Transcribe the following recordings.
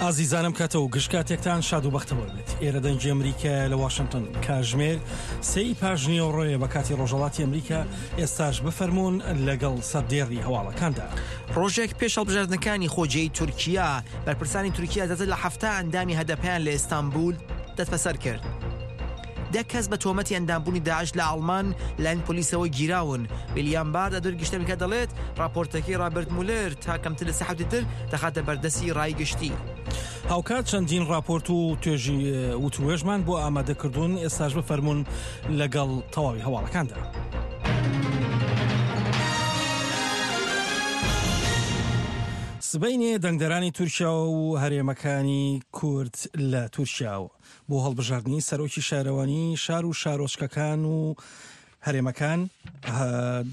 ئازیزانم کاتە و گشت کاتێکتان شاد و بەختەوەر بێت. ئێرە دەنگی ئەمریکایە لە واشنتن. کاژمێر سێی پاش نیوەڕۆیە بە کاتی ڕۆژهەڵاتی ئەمریکا. ئێستاش بفەرموون لەگەڵ سەردێڕی هەواڵەکاندا. ڕۆژێک پێش هەڵبژاردنەکانی خۆجێی تورکیا، بەرپرسانی تورکیا زیاتر لە 70 ئەندامی هەدەپەیان لە ئیستانبول دەستبەسەر کرد. دە کەس بە تۆمەتی ئەندامبوونی داعش لە ئاڵمان لایەن پۆلیسەوە گیراون. ویلیام بار دادوەری گشتی ئەمریکا دەڵێت، ڕاپۆرتەکەی ڕابرت مولەر تا کەمتر لە سێ هەفتەی تر دەخاتە بەردەستی ڕای گشتی. هاوکات چەندین ڕاپۆرت و توێژی وتوێژمان بۆ ئامادە کردوون، ئێستاش بفەرموون لەگەڵ تەواوی هەواڵەکاندا. سبەینێ دەنگدەرانی تورکیا و هەرێمەکانی کورد لە تورکیا و بۆ هەڵبژاردنی سەرۆکی شارەوانی شار و شارۆچکەکان و هەرێمەکان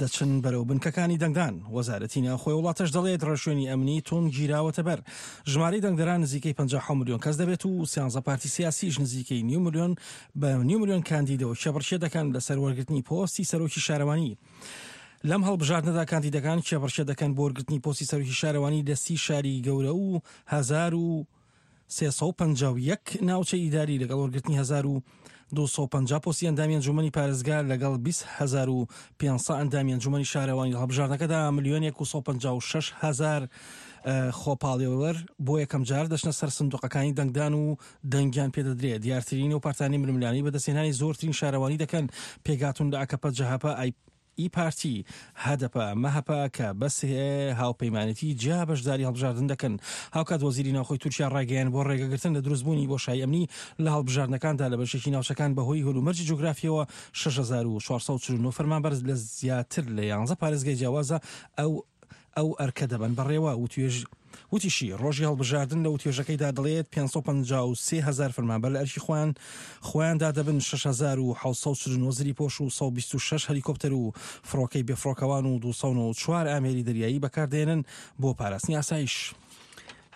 دەچن بەرەو بنکەکانی دەنگدان. وەزارەتی ناوخۆی وڵاتەش دەڵێت ڕێوشوێنی ئەمنی توند گیراوەتە بەر. ژمارەی دەنگدەران نزیکەی 50 ملیۆن کەس دەبێت و سیانزە پارتی سیاسیش نزیکەی نیو ملیۆن بە نیو ملیۆن کاندیدەوە کێبڕکێ دەکەن لەسەر وەرگرتنی پۆستی سەرۆکی شارەوانی. لەم هەڵبژاردنەدا کاندیدەکان کێبڕکێ دەکەن بۆ وەرگرتنی پۆستی سەرۆکی شارەوانی لە سی شاری گەورە و 1351 ناوچەی ئیداری لەگەڵ وەرگرتنی 1250 پۆستی ئەندامی ئەنجومەنی پارێزگا لەگەڵ 20500 ئەندامی ئەنجومەنی شارەوانی لە هەڵبژاردنەکەدا ملیۆنێک و 156 هەزار خۆپاڵێوەر بۆ یەکەم جار دەچنە سەر سندوقەکانی دەنگدان و دەنگیان پێدەدرێت. دیارترین و پارتانی ململانێی بەدەستهێنانی زۆرترین شارەوانی دەکەن پێکهاتوون لە ئاکەپە، جەهەپە، ئای ئی پارتی، هەدەپە، مەهەپە کە بە سێ هاوپەیمانێتی جیا بەشداری هەڵبژاردن دەکەن. هاوکات وەزیری ناوخۆی تورکیا ڕایگەیاند بۆ ڕێگەگرتن لە دروستبوونی بۆشایی ئەمنی لە هەڵبژاردنەکاندا لە بەشێکی ناوچەکان بەهۆی هەلومەرجی جوگرافییەوە 6449 فەرمانبەر لە زیاتر لە یانزە پارێزگای جیاوازە ئەو ئەو ئەرکە دەبەن بەڕێوە. وتوێژ وتیشی، ڕۆژی هەڵبژاردن لە وتوێژەکەیدا دەڵێت 553 هەزار فەرمانبەر لە ئەرکی خۆیان خۆیاندا دەبن، 6749 زریپۆش و 126 هەلیکۆپتەر و فڕۆکەی بێفڕۆکەوان و 294 ئامێری دەریایی بەکاردێنن بۆ پاراستنی ئاسایش.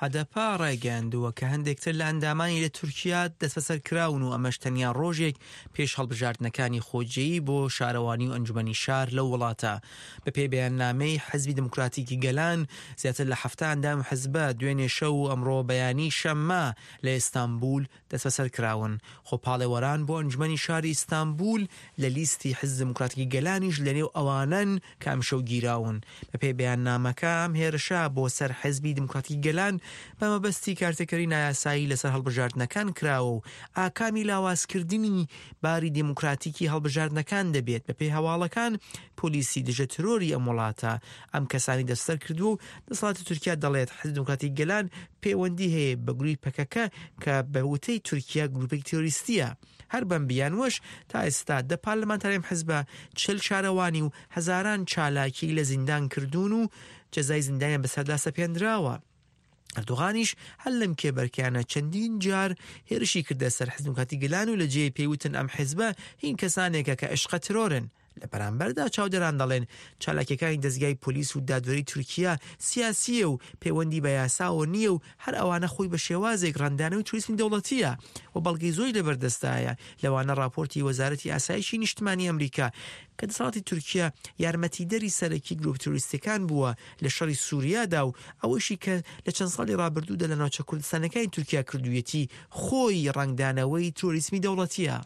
هەدەپە ڕایگەیاندووە کە هەندێک تر لە ئەندامانی لە تورکیا دەستبەسەر کراون و ئەمەش تەنیا ڕۆژێک پێش هەڵبژاردنەکانی خۆجێیی بۆ شارەوانی و ئەنجومەنی شار لەو وڵاتە. بەپێی بەیاننامەی حزبی دیموکراتیکی گەلان، زیاتر لە 70 ئەندامی حزبە دوێنێ شەو و ئەمڕۆ بەیانی شەممە لە ئیستانبول دەستبەسەر کراون. خۆپاڵێوەران بۆ ئەنجومەنی شاری ئیستانبول لە لیستی حزب دیموکراتیکی گەلانیش لەنێو ئەوانەن کە ئەمشەو گیراون. بەپێی بەیاننامەکە ئەم هێرشە بۆ سەر حزبی دیموکراتیکی گەلان بە مەبەستی کارتێکەری نایاسایی لەسەر هەڵبژاردنەکان کراوە و ئاکامی لاوازکردنی باری دیموکراتیکی هەڵبژاردنەکان دەبێت. بەپێی هەواڵەکان پۆلیسی دژە ترۆری ئەم وڵاتە ئەم کەسانی دەستبەسەر کردووە و دەسەڵاتی تورکیا دەڵێت حزبی دیموکراتیکی گەلان پەیوەندی هەیە بە گرووی پەکەکە کە بە وتەی تورکیا گرووپێکی تیرۆریستییە. هەر بەم بیانووەش تا ئێستا دە پارلمانتاری ئەم حزبە، 40 شارەوانی و هەزاران چالاکی لە زیندان کردوون و جەزای زیندانیان بەسەردا سەپێندراوە. ئەردۆغانیش هەر لەم کێبەرکێیانە چەندین جار هێرشی کردە سەر حزب دیموکراتی گەلان و لە جێی پێی وتن ئەم حزبە هین کەسانێکە کە ئەشقە ترۆرن. لە بەرامبەردا چاودێران دەڵێن چالاکیەکانی دەزگای پۆلیس و دادوەری تورکیا سیاسییە و پەیوەندی بە یاساوە نییە و هەر ئەوانە خۆی بە شێوازێک ڕەنگدانەوەی ترۆریسمی دەوڵەتییە و بەڵگەی زۆری لەبەردەستدایە لەوانە ڕاپۆرتی وەزارەتی ئاسایشی نیشتمانی ئەمریکا کە دەسەڵاتی تورکیا یارمەتیدەری سەرەکی گروپ ترۆریستیەکان بووە لە شەڕی سوریادا و ئەوەیشی کە لە چەند ساڵی ڕابردوودا لە ناوچە کوردستانەکانی تورکیا کردوویەتی خۆی ڕەنگدانەوەی ترۆریسمی دەوڵەتییە.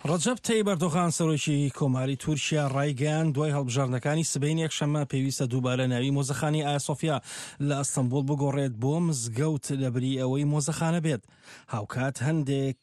ڕەجەب تەیب ئەردۆغان سەرۆکی کۆماری تورکیا ڕایگەیاند، دوای هەڵبژاردنەکانی سبەینێ یەکشەممە پێویستە دووبارە ناوی مۆزەخانەی ئایاسۆفیا لە ئەستەنبوڵ بگۆڕێت بۆ مزگەوت لەبری ئەوەی مۆزەخانە بێت. هاوکات هەندێک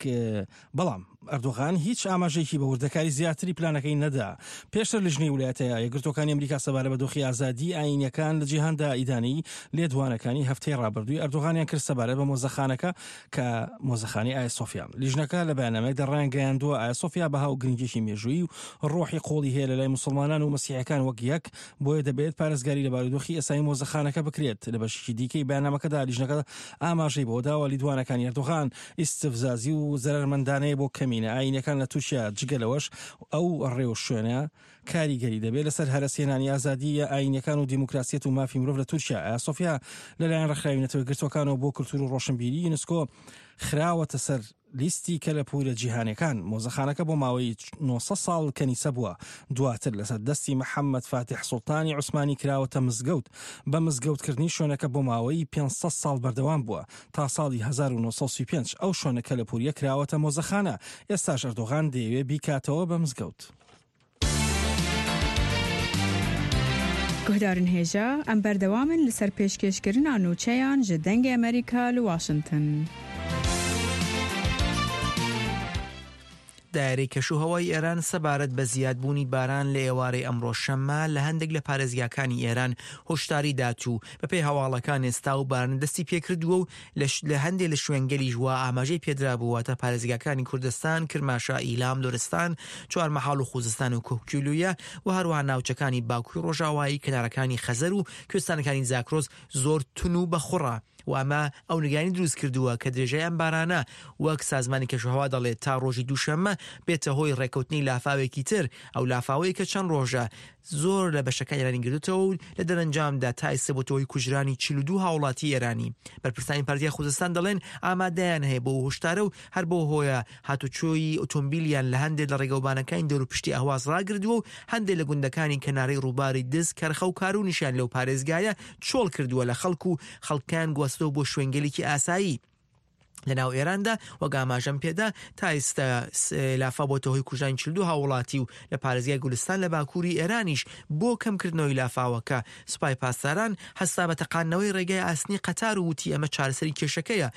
بەڵام ئەردۆغان هیچ ئاماژەیەکی بە وردەکاری زیاتری پلانەکەی نەدا. پێشتر لیژنەی ولایەتە یەکگرتووەکانی ئەمریکا سەبارەت بە دۆخی ئازادیی ئایینییەکان لە جیهاندا ئیدانەی لێدوانەکانی هەفتەی ڕابردووی ئەردۆغانیان کرد سەبارەت بە مۆزەخانەکە کە مۆزەخانەی ئایا سۆفیا. لیژنەکە لە بەیاننامەیەکدا ڕایانگەیاندووە ئایا سۆفیا بەها و گرنگییەکی مێژوویی و ڕۆحی قووڵی هەیە لەلای موسڵمانان و مەسیحیەکان وەک یەک، بۆیە دەبێت پارێزگاری لە بارودۆخی ئێستای مۆزەخانەکە بکرێت. لە بەشێکی دیکەی بەیاننامەکەدا لیژنەکە ئاماژەی بەوەداوە لیدوانەکانی ئەردۆغان ئیستفزازی و زەرەرمەندانەیە بۆ کەمینە ئایینیەکان لە تورکیا، جگە لەوەش ئەو ڕێوشوێنە کاریگەری دەبێت لەسەر هەرەسهێنانی ئازادییە ئایینیەکان و دیموکراسیەت و مافی مرۆڤ لە تورکیا. ئایاسۆفیا لەلایەن ڕێکخراوی نەتەوەیەکگرتووەکانەوە بۆ کولتوور و ڕۆشنبیری، یونسکۆ، خراوەتە سەر. لیستی کەلەپوورە جیهانیەکان. مۆزەخانەکە بۆ ماوەی 900 ساڵ کەنیسە بووە، دواتر لەسەر دەستی محەممەد فاتیح سوڵتانی عوسمانی کراوەتە مزگەوت. بە مزگەوتکردنی شوێنەکە بۆ ماوەی 500 ساڵ بەردەوام بووە تا ساڵی 1935 ئەو شوێنە کەلەپووریە کراوەتە مۆزەخانە، ئێستاش ئەردۆغان دەیەوێ بیکاتەوە بە مزگەوت. Guhdarên hêja, em berdewam in li ser pêşkêşkirina nûçeyan ji Dengê Amerîka li Washington. دایرەی کەشوهەوای ئێران سەبارەت بە زیادبوونی باران لە ئێوارەی ئەمڕۆ شەممە لە هەندێک لە پارێزگاکانی ئێران هۆشداری دات و بەپێی هەواڵەکان ئێستا و باران دەستی پێکردووە و لە هەندێ لە شوێنگەلیش وا ئاماژەی پێدرابوو واتە پارێزگاکانی کوردستان، کرماشا، ئیلام، لورستان، چوارمەحاڵ و خوزستان و کوهکیلویە و هەروەها ناوچەکانی باکووری ڕۆژاوایی کەنارەکانی خەزەر و کوێستانەکانی زاکرۆس زۆر تون و بەخوڕە و ئەمە ئەو نیگەرانی دروست کردووە کە درێژای ئەم بارانە وەک سازمانی کەشوهەوا دەڵێت تا ڕۆژی دووشەممە بێتە هۆی ڕێکەوتنی لافاوێکی تر ئەو لافاوەی کە چەند ڕۆژە زۆر لە بەشەکانی ئێرانی گرتووەتەوە و لە دەرەنجامدا تا ئێستا بۆتە هۆی کوژرانی 42 هاوڵاتی ئێرانی. بەرپرسانی پارێزگای خوزستان دەڵێن ئامادەیان هەیە بۆ هۆشدارە و هەر بەو هۆیە هاتوچۆی ئۆتۆمبیلیان لە هەندێک لە ڕێگەوبانەکانی دەوروپشتی ئەهواز ڕاگردووە و هەندێک لە گوندەکانی کەنارەی ڕووباری دز، کەرخە و کارونیشیان لەو پارێزگایە چۆڵ کردووە لە خەڵک و خەڵکیان گواستەوە بۆ شوێنگەلێکی ئاسایی. لە ناو ئێراندا وەک ئاماژەم پێدا تا ئێستا لافاو بۆتە هۆی کوژرانی 42 هاووڵاتی و لە پارێزگای گولستان لە باکووری ئێرانیش بۆ کەمکردنەوەی لافاوەکە سوپای پاسداران هەستا بە تەقاندنەوەی ڕێگای ئاسنی قەتار و وتی ئەمە چارەسەری کێشەکەیە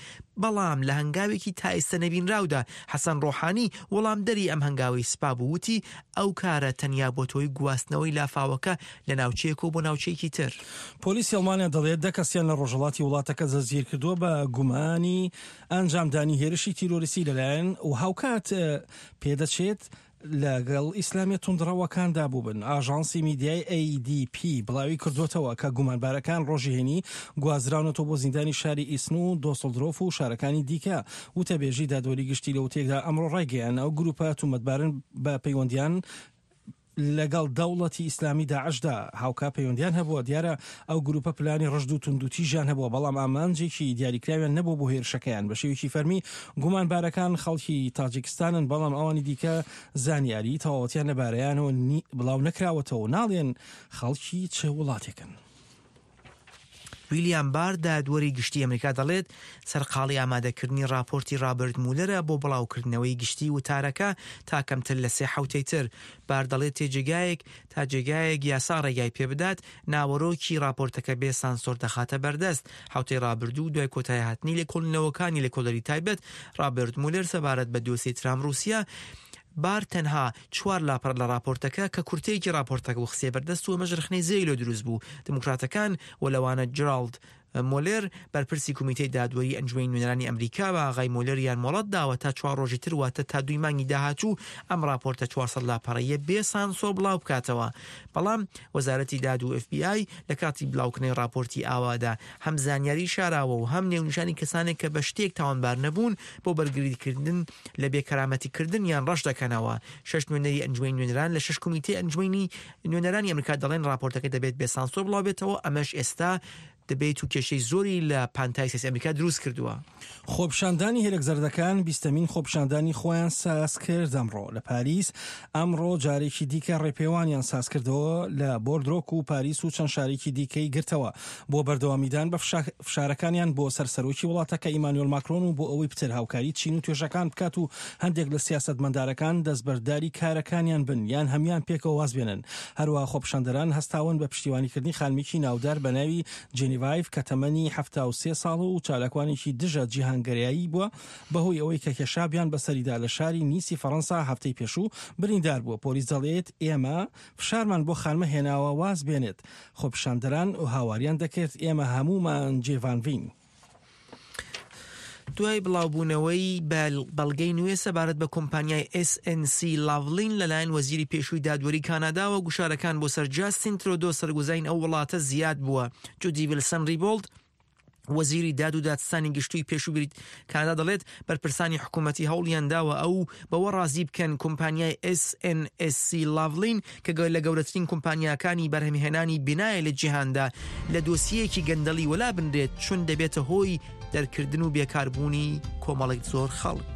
بەڵام لە هەنگاوێکی تا ئێستا نەبینراودا حەسەن ڕۆحانی وەڵامدەری ئەم هەنگاوەی سپا بوو وتی ئەو کارە تەنیا بۆتە هۆی گواستنەوەی لافاوەکە لە ناوچەیەکەوە بۆ ناوچەیەکی تر. پۆلیسی ئەڵمانیا دەڵێت دە کەسیان لە ڕۆژهەڵاتی وڵاتەکە دەستگیرکردووە بە گومانی ئەنجامدانی هێرشی تیرۆریستی لەلایەن و هاوکات پێدەچێت لەگەڵ ئیسلامیە توندڕەوەکاندا بووبن. ئاژانسی میدیای ADP بڵاوی کردووەتەوە کە گومانبارەکان ڕۆژی هەینی گوازراونەتەوە بۆ زیندانی شاری ئیسن و دۆسڵدرۆف و شارەکانی دیکە. وتەبێژی دادوەری گشتی لە وتەیەکدا ئەمڕۆ ڕایگەیاند ئەو گروپە تومەتبارن بە پەیوەندیان لەگەڵ دەوڵەتی ئیسلامی داعشدا هاوکات پەیوەندیان هەبووە، دیارە ئەو گروپە پلانی ڕژد و توندوتیژیان هەبووە، بەڵام ئامانجێکی دیاریکراویان نەبووە بۆ هێرشەکەیان. بە شێوەیەکی فەرمی گومانبارەکان خەڵکی تاجیکستانن، بەڵام ئەوانی دیکە زانیاریی تەواوەتیان لەبارەیانەوە بڵاو نەکراوەتەوە و ناڵێن خەڵکی چ وڵاتێکن. ویلیام بار دادوەری گشتی ئەمریکا دەڵێت سەرقاڵی ئامادەکردنی ڕاپۆرتی ڕابرت مولەرە بۆ بڵاوکردنەوەی گشتی وتارەکە تا کەمتر لە سێ حوتەی تر. بار دەڵێت تێجێگایەک تا جێگایەک یاسا ڕێگای پێبدات ناوەرۆکی ڕاپۆرتەکە بێ سانسۆر دەخاتە بەردەست. حوتەی ڕابردوو دوای کۆتایهاتنی لێکۆڵینەوەکانی لێکۆڵەری تایبەت ڕابرت مولەر سەبارەت بە دۆسیەی ترامپ ڕووسیا، بار تەنها چوار لاپەڕە لە ڕاپۆرتەکە کە کورتەیەکی ڕاپۆرتەکە بوو خستیە بەردەست و ئەمەش ڕەخنەی زۆری لێ دروست بوو. دیموکراتەکان و لەوانە جراڵد مۆلێر بەرپرسی کومیتەی دادوەری ئەنجومەنی نوێنەرانی ئەمریکا بە ئاغای مۆلێریان مۆڵەت داوە تا چوار ڕۆژی تر واتە تا دووی مانگی داهاتوو ئەم ڕاپۆرتە 400 لاپەڕەییە بێ سانسۆر بڵاو بکاتەوە. بەڵام وەزارەتی داد و ئێف بی ئای لە کاتی بڵاوکردنەوەی ڕاپۆرتی ئاوادا هەم زانیاری شاراوە و هەم نێونیشانی کەسانێک کە بە شتێک تاوانبار نەبوون بۆ بەرگریکردن لە بێ کەرامەتی کردنیان ڕەش دەکەنەوە. شەش نوێنەری ئەنجومەنی نوێنەران لە شەش کومیتەی ئەنجومەنی نوێنەرانی ئەمریکا دەڵێن ڕاپۆرتەکە دەبێت بێ سانسۆر بڵاو بێتەوە، ئەمەش ئێستا دەبێت و کێشەی زۆری لە پانتای سیاسی ئەمریکا دروست کردووە. خۆپیشاندانی هێلک زەردەکان بیستەمین خۆپیشاندانی خۆیان ساز کرد ئەمڕۆ لە پاریس ئەمڕۆ جارێکی دیکە ڕێپێوانیان ساز کردەوە لە بۆردرۆک و پاریس و چەند شارێکی دیکەی گرتەوە بۆ بەردەوامیدان بە فشارەکانیان بۆ سەر سەرۆکی وڵاتەکە ئیمانوێل ماکرۆن و بۆ ئەوەی پتر هاوکاری چین و توێژەکان بکات و هەندێک لە سیاسەتمەندارەکان دەستبەرداری کارەکانیان بن یان هەموان پێکەوە واز بێنن. هەروەها خۆپیشاندەران هەستاون بە پشتیوانیکردنی خانمێکی ناودار بە ناوی جێنیڤایڤ کە تەمەنی 73 ساڵ و چالاکوانێکی دژە جیهانگەرایی بووە بەهۆی ئەوەی کە کێشابیان بەسەریدا لە شاری نیسی فەڕەنسا هەفتەی پێشوو بریندار بووە. پۆلیس دەڵێت ئێمە فشارمان بۆ خانمە هێناوە واز بێنێت. خۆپیشاندەران هاواریان دەکرد ئێمە هەموومان جێڤانڤین. دوای بڵاوبوونەوەی بەڵگەی نوێ سەبارەت بە کۆمپانیای SNC Lavalin لەلایەن وەزیری پێشووی دادوەری کاناداوە گوشارەکان بۆ سەر جاستین ترۆدۆ سەرگوزاین ئەو وڵاتە زیاد بووە. جودی ویلسن ریبۆڵد وەزیری داد و دادستانی گشتوی پێشوو بریت کانادا دەڵێت بەرپرسانی حکوومەتی هەوڵیان داوە ئەو بەوە ڕازی بکەن کۆمپانیای SNSC لاڤلین کە لە گەورەترین کۆمپانیاکانی بەرهەمهێنانی بینایە لە جیهاندا لە دۆسیەیەکی گەندەڵی وەلا بنرێت چون دەبێتە هۆی دەرکردن و بێکاربوونی کۆمەڵێک زۆر خەڵک.